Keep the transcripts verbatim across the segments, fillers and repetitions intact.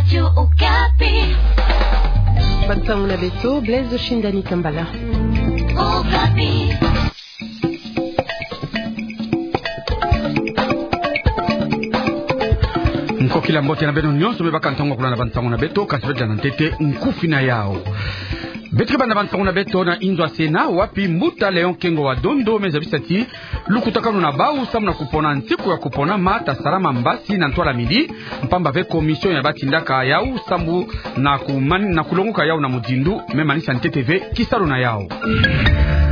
Radio Okapi. Bantangu na beto, Blaise Oshindani Kambala. Okapi. Nkokila mbote na beno nyonso me baka ntangu ya kulanda bantangu na beto, kasi beto landa ntete nkufi na yau. Beto ke banda bantangu na beto na inzo ya Sénat, wapi mbuta Léon Kengo wa Dondo me zabisa ti lukutakanu na bau samu na kupona nsiku ya kuponama ta salama mbasi na ntwala midi, mpamba ve commission ya batindaka yau samu na kuman-, na kulonguka yau na mudindu, me manisa ntete ve kisalu na yau.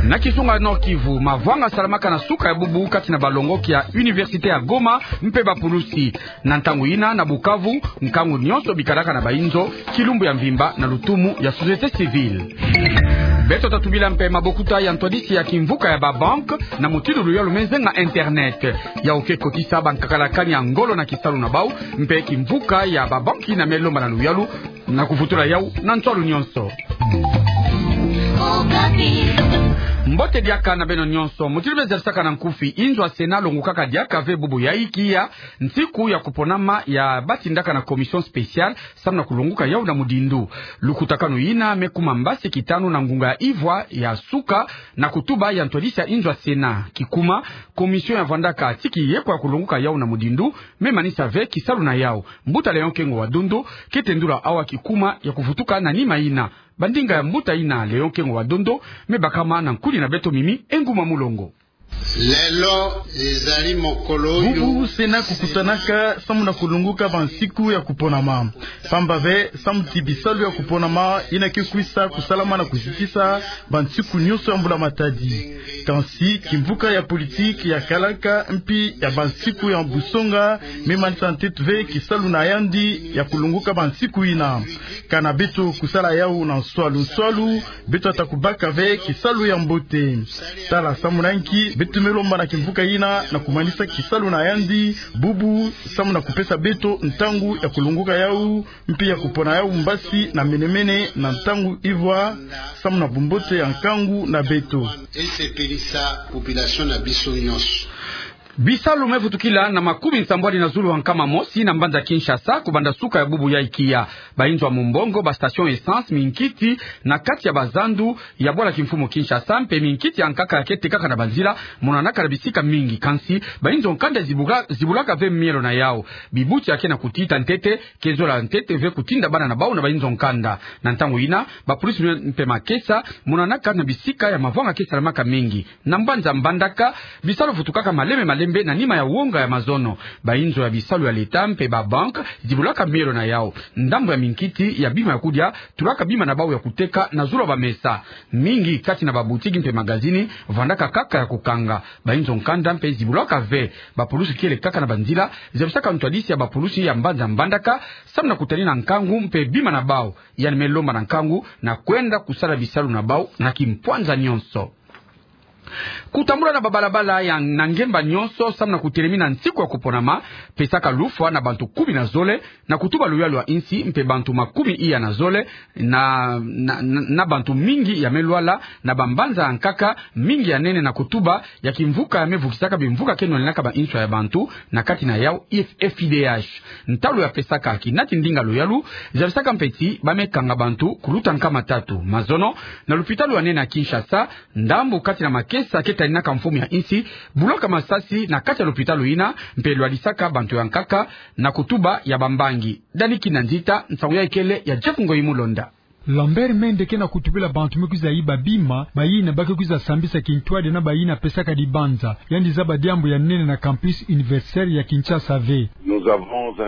Na kisunga Nord-Kivu, mavwanga salamaka na suka ya bubu kati na balongoki ya Université ya Goma mpe bapulusi. Na ntangu yina, na Bukavu, nkangu nyonso bikalaka na bainzo, kilumbu ya mvimba na lutumu ya société civile. Beto ta tubila mpe mabokuta ya ntwadisi ya kimvuka ya babanque na mutindu luyalu me nzenga internet. Yau ke kotisa bankakalakani ya ngolo na kisalu na bau, mpe kimvuka ya babanque yina me lomba na luyalu na kuvutula yau na nswalu nyonso. Mbote diaka na beno nyonso. Mutindu me zabisaka na nkufi, inzo ya Sénat longokaka diaka ve bubu ya inki ya nsiku ya kuponama ya batindaka na commission spéciale samu na kulonguka yau na mudindu. Lukutakanu yina me kuma mbasi kitanu na ngunga ya ivwa ya suka na kutuba ya ntwadisi ya inzo ya Sénat. Kikuma, commission ya vwandaka ti kiyekwa ya kulonguka yau na mudindu me manisa ve kisalu na yau. Mbuta Léon Kengo wa Dondo ke tendula awa kikuma ya kuvutuka na nima yina. Bandinga ya mbuta yina Léon Kengo wa Dondo me bakama na nkudi na beto Mimi Enguma Mulongo. Lelo ezali mokolo oyo. Bubu Sénat kukutanaka samu na kulonguka bansiku ya kuponama. Mpamba ve, samu ti bisalu ya kuponama yina ke kwisa kusalama na kuzitisa bansiku nyonso ya mbula matadi. Kansi kimvuka ya politiki ya kalaka mpi ya bansiku ya busonga me manisa ntete ve kisalu na yandi ya kulonguka bansiku yina. Kana beto kusala yau na nswalu nswalu, beto ta kubaka ve kisalu ya mbote. Tala samu na inki beto me lomba na kimvuka yina na kumanisa kisalu na yandi bubu, samu na kupesa beto ntangu ya kulonguka yau, mpi ya kupona yau mbasi na menemene na ntangu ivwa, samu na bumbote ya nkangu na beto. Esepelisa population na biso nyonso. Bisalu me vutukila na makumi nsambwadi na zulu ha nkama mosi na mbanza Kinshasa, kubanda suka ya bubu ya inki ya. Bainzo ya mumbongo, ba station essence, minkiti na kati ya bazandu ya bwala kimfumu Kinshasa, mpe minkiti ya nkaka ya ke tekaka na banzila, monanaka na bisika mingi. Kansi bainzo nkanda zibuka-, zibulaka ve mielo na yau. Bibuti ya ke na kutita ntete, ke zola ntete ve kutinda bana na bau na bainzo nkanda. Na ntangu yina, bapolisi mpe makesa monanaka na bisika ya mavwanga ke salamaka mingi. Na mbanza Mbandaka, bisalu vutukaka malembe malembe na nima ya wonga ya mazono. Bainzo ya bisalu ya leta mpe babanque zibulaka mielo na yau. Ndambu ya minkiti ya bima ya kudia tulaka bima na bau ya kuteka na zulu ya bamesa. Mingi kati na babutiki mpe magazini vwandaka kaka ya kukanga. Bainzo nkanda mpe zibulaka ve. Bapolisi kiele kaka na banzila, zabisaka ntwadisi ya bapolisi ya mbanza Mbandaka samu na kutalina nkangu mpe bima na bau. Yandi me lomba na nkangu na kwenda kusala bisalu na bau na kimpwanza nyonso. Kutambula na babalabala ya na ngemba nyonso samu na kutelemina nsiku ya kuponama, pesaka lufwa na bantu kumi na zole, na kutuba luyalu ya insi, mpe bantu makumi iya na zole, na, na, na, na bantu mingi ya me lwala, na bambanza ya nkaka, mingi ya nene na kutuba ya kimvuka ya me vukisaka bimvuka ke nwanenaka ba inswa ya bantu, na kati na yau F I D H. Ntalu ya pesaka kinati ndinga luyalu, zabisaka mpe ti ba me kanga bantu kuluta nkama tatu. Mazono, na lupitalu ya nene ya Kinshasa, ndambu kati na makesa ke talinaka mfumu ya insi bulaka masasi na kati ya lupitalu yina, mpe lwadisaka bantu ya nkaka na kutuba ya bambangi. Dani Kinanzita, nsangu ya ikele ya Jeff Ngoyi Mulonda. Lambert Mende ke na kutubila bantu me kwiza yiba bima, bayina ba ke kwiza sambisa kintwadi na bayina pesaka dibanza. Yandi zaba diambu ya nene na campus universitaire ya Kinshasa ve.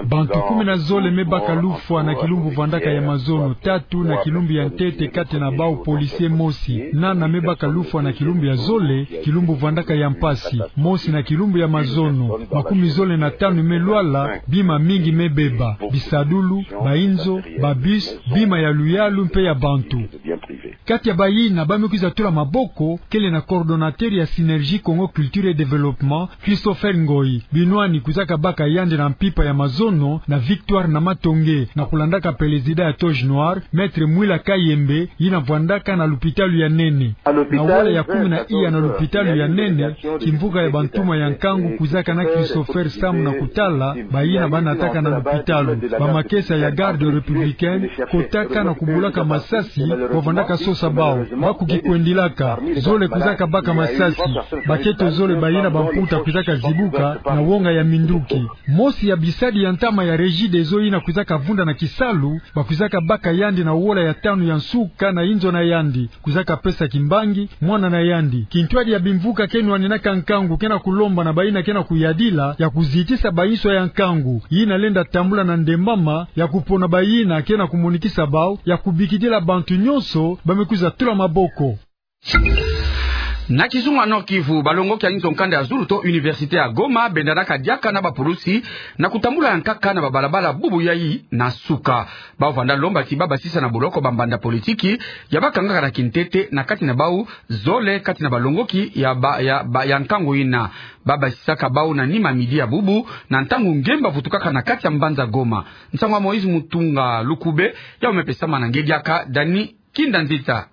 Bantu kumi na zole me baka lufwa na kilumbu vwandaka ya mazono, tatu na kilumbu ya ntete, kati na bau policier mosi. Nana me baka lufwa na kilumbu ya zole, kilumbu vwandaka ya mpasi. Mosi na kilumbu ya mazono, makumi zole na tanu me lwala, bima mingi me beba, bisadulu, bainzo, babus, bima ya luyalu mpe ya bantu. Kati ya bayina ba me kwiza tula maboko, kele na coordonnateur ya Synergie Congo Culture et Développement, Christopher Ngoyi. Binwani kwizaka baka yandi na mpimpa ya mazono na Victoire Namatonge, na kulandaka pelezida ya Toge Noire, Maître Mwila Kayembe, yina vwandaka na lupitalu ya nene. Na wola ya kumi na iya na lupitalu ya nene, kimvuka ya bantuma ya nkangu kwizaka na Christopher samu na kutala bayina ba nataka na lupitalu. Bamakesa ya Garde républicaine kotaka na kubulaka masasi, ba vwandaka sosa bawu, ba kukikwendilaka, zole kwizaka baka masasi, baketo zole bayina bamputa kwizaka zibuka na wonga ya minduki. Mosi ya bisadi ya ntama ya Regideso yina kwizaka vunda na kisalu, ba kwizaka baka yandi na wola ya tanu ya nsuka na inzo na yandi, kwizaka pesa kimbangi mwana na yandi. Kintwadi ya bimvuka ke nwaninaka nkangu ke na kulomba na bayina ke na kuyadila ya kuzitisa bainso ya nkangu yina lenda tambula na ndembama, ya kupona bayina ke na kumonikisa bawu, ya kubikidila bantu nyonso ba me kwiza tula maboko. Na kizunga Nord-Kivu, balongoki ya inzo nkanda ya zulu to université ya Goma bendanaka diaka na bapulusi na kutambula ya nkaka na babalabala bubu yayi na nsuka. Bawu vanda lomba ti ba basisa na boloko bambanda politiki ya bakangaka na kintete na kati na bawu zole kati na balongoki ya ba, ya ba, ya nkangu yina. Ba basisaka bawu na nima midi ya bubu, na ntangu ngemba vutukaka na kati ya mbanza Goma. Nsangu ya Moïse Mutunga Lukube, yawu me pesama na nge diaka Dani Kinda Nzita.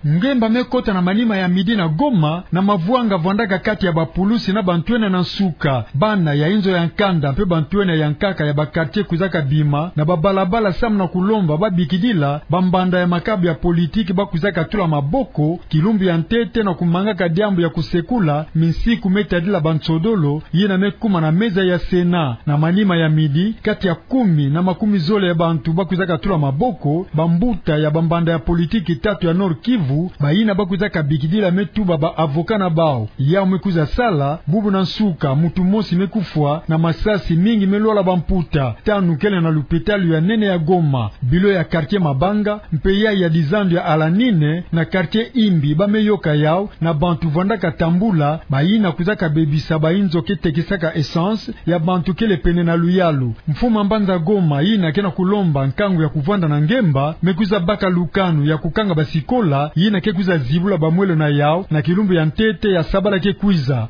Ngemba me kota na manima ya midi na Goma, na mavwanga vwandaka kati ya bapulusi na bantwenia na nsuka. Bana ya inzo ya nkanda mpe bantwenia ya nkaka ya bakartie kwizaka bima na babalabala samu na kulomba babikidila bambanda ya makabu ya politiki ba kwizaka tula maboko kilumbu ya ntete na kumangaka diambu ya kusekula minsiku me tadila bansodolo yina me kuma na meza ya Sénat. Na manima ya midi, kati ya kumi na makumi zole ya bantu ba kwizaka tula maboko, bambuta ya bambanda ya politiki tatu ya Nord-Kivu, bayina ba kwizaka bikidila me tuba ba avocat na bawu. Yawu me kwiza sala bubu na nsuka, muntu mosi me kufwa na masasi, mingi me lwala bamputa, tanu kele na lupitalu ya nene ya Goma. Bilo ya kartie Mabanga mpe yayi ya dizandu ya Alanine na kartie Imbi ba me yoka yawu na bantu vwandaka tambula, bayina kwizaka bebisa bainzo ke tekisaka essence ya bantu kele pene na luyalu. Mfumu a mbanza Goma yina ke na kulomba nkangu ya kuvwanda na ngemba me kwiza baka lukanu ya kukanga basikola yina ke kwiza zibula bamwelo na yawu na kilumbu ya ntete ya sabala ke kwiza.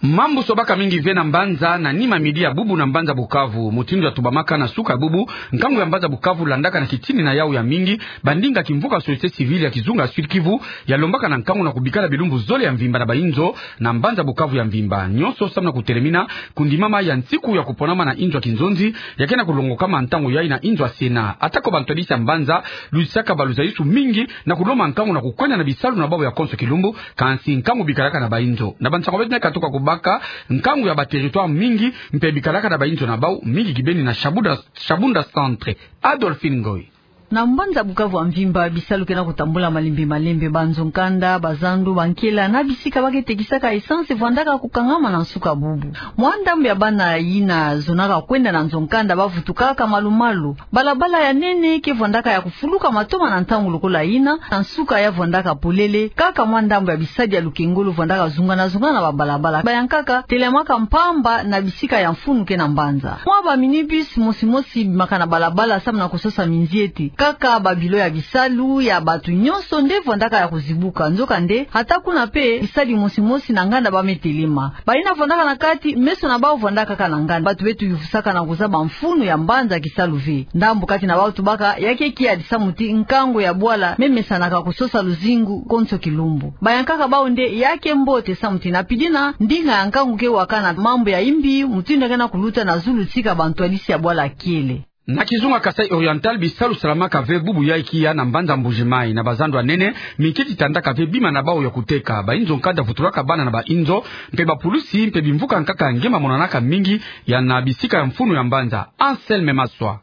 Mambu sobaka mingi ve na mbanza na nima midi ya bubu na mbanza Bukavu. Mutindu ya tubamaka na nsuka ya bubu, nkangu ya mbanza Bukavu landaka na kitini na yawu ya mingi bandinga kimvuka société civile ya kizunga Sud-Kivu, ya lombaka na nkangu na kubikala bilumbu zole ya mvimba na bainzo na mbanza Bukavu ya mvimba nyonso samu na kutelemina kundimama ya nsiku ya kuponama na inzo ya kinzonzi ya ke na kulongokama ntangu yayi na inzo ya Sénat. Atako bantwadisi ya mbanza lutisaka baluzalisu mingi na kulomba nkangu na kukwenda na bisalu na bawu ya konso kilumbu, kansi nkangu bikalaka na bainzo. Na bansangu beto me katuka kubaka, nkangu ya baterritoire mingi mpe bikalaka na bainzo na bawu, mingi kibeni na Shabunda, Shabunda Centre. Adolphine Ngoyi. Na mbanza Bukavu ya mvimba, bisalu ke na kutambula malembe malembe. Banzo nkanda, bazandu, bankela na bisika ba ke tekisaka essence vwandaka kukangama na nsuka bubu. Mwa ndambu ya bana yina zonaka kwenda na nzo nkanda ba vutukaka malu-malu. Balabala ya nene ke vwandaka ya kufuluka matoma na ntangu lokola yina, na nsuka ya vwandaka polele, kaka mwa ndambu ya bisadi ya lukengolo vwandaka zungana-zungana na babalabala. Bayankaka telemaka mpamba na bisika ya mfunu ke na mbanza. Mwa ba minibus mosi-mosi bimaka na balabala samu na kusosa minziete. Kaka babilo ya bisalu ya bato nyonso nde vwandaka ya kuzibuka. Nzokande, ata kuna mpe, bisadi mosi-mosi na nganda ba me telema. Bayina vwandaka na kati, meso na bawu vwandaka kaka na nganda. Bato beto yufusaka na kuzaba mfunu ya mbanza kisalu ve. Ndambu kati na bawu tubaka ya ke kiadi samu ti nkangu ya bwala me mesanaka kusosa luzingu konso kilumbu. Bayankaka bawu nde ya ke mbote samu ti na pidina, ndinga ya nkangu ke wakana mambu ya imbi, mutindu ya ke na kuluta na zulu tika bantwadisi ya bwala kiele. Na kizunga Kasaï Oriental, bisalu salamaka ve bubu yayi kiya na mbanza Mbuji-Mayi. Na bazandu ya nene, minkiti tandaka ve bima na bawu ya kuteka. Bainzo nkanda vutulaka bana na bainzo, mpe bapulusi, mpe bimvuka nkaka nge mamonanaka mingi ya na bisika ya mfunu ya mbanza. Anselme Maswa.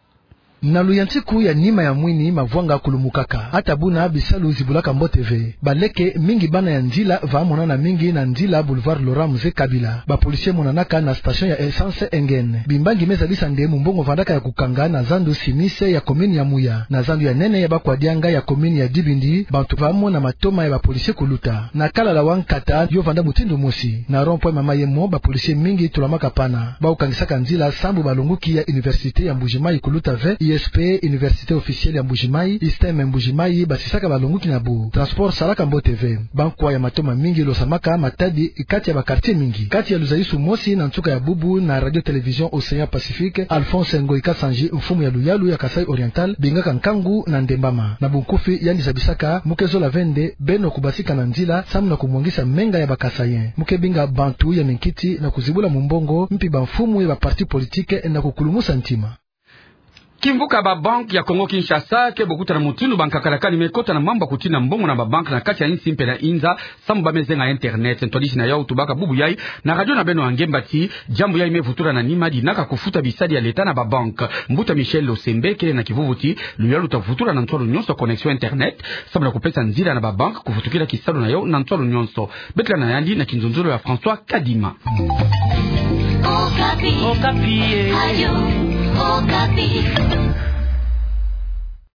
Na luyantiku ya nima ya mwini, mavwanga kulumukaka. Ata buna, bisalu zibulaka mbote ve. Baleke, mingi bana ya nzila, va monana mingi na nzila Boulevard Laurent Mzee Kabila. Bapolisi monanaka na station ya essence Engen. Bimbangi me zadisa nde mumbongo vandaka ya kukanga na zandu Simise ya commune ya Mouya, na zandu ya nene ya Bakwadianga ya commune ya Dibindi, bantu va mona matoma ya bapolisi kuluta. Na Kalala wa nkata, yo vanda mutindu mosi. Na rond-point Mama Yemo, bapolisi mingi tulamaka pana. Bawu kangisaka nzila sambu balongoki ya université ya Mbuji-Mayi kuluta ve, I S P, Université Officielle ya Mbuji-Mayi, ISTEM Mbuji-Mayi, basisaka balonguki na bu. Transport salaka mbote ve. Bankwa ya matoma mingi losamaka matadi kati ya ba quartier mingi. Kati ya luzayusu mosi na nsuka ya bubu na Radio Télévision Océan Pacifique, Alphonse Ngoyi Kasanji, mfumu ya luyalu ya Kasaï Oriental, bingaka nkangu na ndembama. Na bunkufi yandi zabisaka, muke zola ve nde beno kubasika na nzila, samu na kumwangisa menga ya ba Kasaïens. Muke binga bantu ya minkiti na kuzibula mumbongo, mpi bamfumu ya ba partis politiques na kukulumusa ntima. Kimvuka ba banques ya Congo Kinshasa ke bokutana mutindu bankakala kani me kota na mambu ya kutina mbongo na ba banques na kati ya insi mpe na inza, samu ba me zenga internet. Ntwadisi na yau tubaka bubu yai na radio na beno ya Ngemba ti diambu yai me vutula na nima dinaka kufuta bisadi ya l'État na ba banques. Mbuta Michel Losembe kele na kivuvu ti luyalu ta vutula na nswalu nyonso connexion internet, samu na kupesa nzila na ba banques kuvutukila kisalu na yau na nswalu nyonso. Beto landa na yandi na kinzonzolo ya François Kadima. Okapi. Okapi, eh. Radio Okapi.